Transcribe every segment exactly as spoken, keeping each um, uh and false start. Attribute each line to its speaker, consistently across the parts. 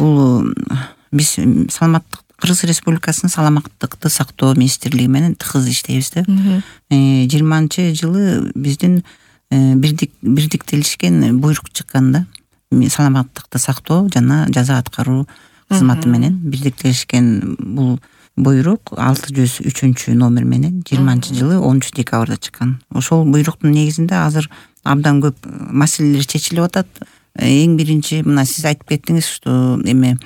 Speaker 1: бул биз саламаттык Кыргыз Республикасынын саламаттыкты сактоо министрлиги менен тыгыз иштейбиз да. жыйырманчы жылы биздин бирдик бирдиктелишкен буйрук чыккан да. Саламаттыкты сактоо жана жаза аткаруу кызматы менен бирдиктелишкен бул буйрук алты жүз үчүнчү номер менен жыйырманчы жылы онунчу декабрда чыккан. Ошол буйруктун негизинде азыр абдан көп маселелер чечилип атат. Эң биринчи мына сиз айтып кеттиңиз, что эме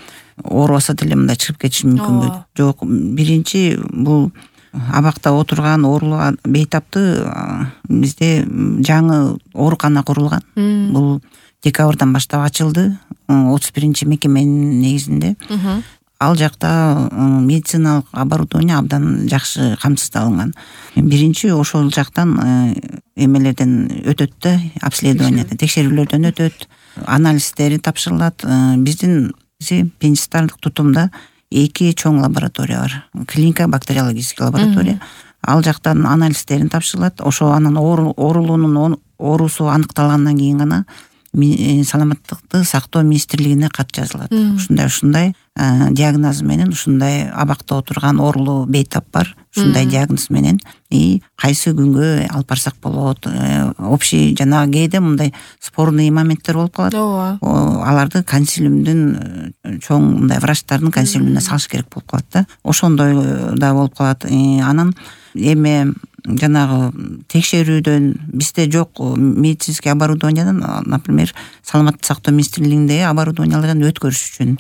Speaker 1: оорубаса деле мындай чыгып кетиши мүмкүнбү? Жок, биринчи бул абакта отурган оорулуу бейтапты бизде жаңы оорукана курулган. Бул декабрдан баштап ачылды. отуз биринчи мекеменин негизинде. Ал жакта медициналык оборудование абдан жакшы камсыздалынган. Биринчи ошол жактан эмелерден өтөт да, обследованиядан, текшерүүлөрдөн өтөт, анализдери тапшырылат. Биздин пенистарлык тутумда эки чоң лаборатория бар. Клиника бактериологический лаборатория. Ал жактан анализдерин тапшырылат. Ошо анын оорулуунун оорусу аныкталгандан кийин гана саламаттыкты сактоо министрлигине кат жазылат. Ушундай ушундай диагноз менен ушундай абакта отурган оорулуу бейтап бар. Ушундай диагноз менен и кайсы күнгө алып барсак болот. Общий жана кээде мындай спорный моменттер болуп калат. Аларды консилиумдун чоң мындай врачтардын консилиумуна салыш керек болуп калат да. Ошондой да болуп калат. Анан эме жанагы текшерүүдөн бизде жок медицинский оборудованиядан, например, саламаттык сактоо министрлигиндеги оборудованиялардан өткөрүш үчүн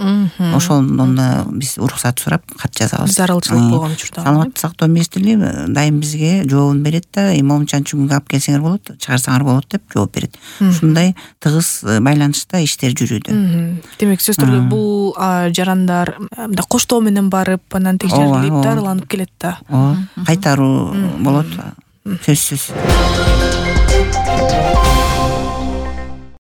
Speaker 1: ошондон да биз уруксат сурап кат жазабыз.
Speaker 2: Зарылчылык болгон учурда.
Speaker 1: Саламаттык сактоо министрлиги дайым бизге жообун берет да, эми момчанчы күнгө алып келсеңер болот, чыгарсаңар болот деп жооп берет. Ушундай тыгыз байланышта иштер жүрүүдө.
Speaker 2: Демек сөз түрдө бул жарандар мындай коштоо менен барып, анан текшерилип, дарыланып келет да.
Speaker 1: Кайтаруу болот. Сөзсүз.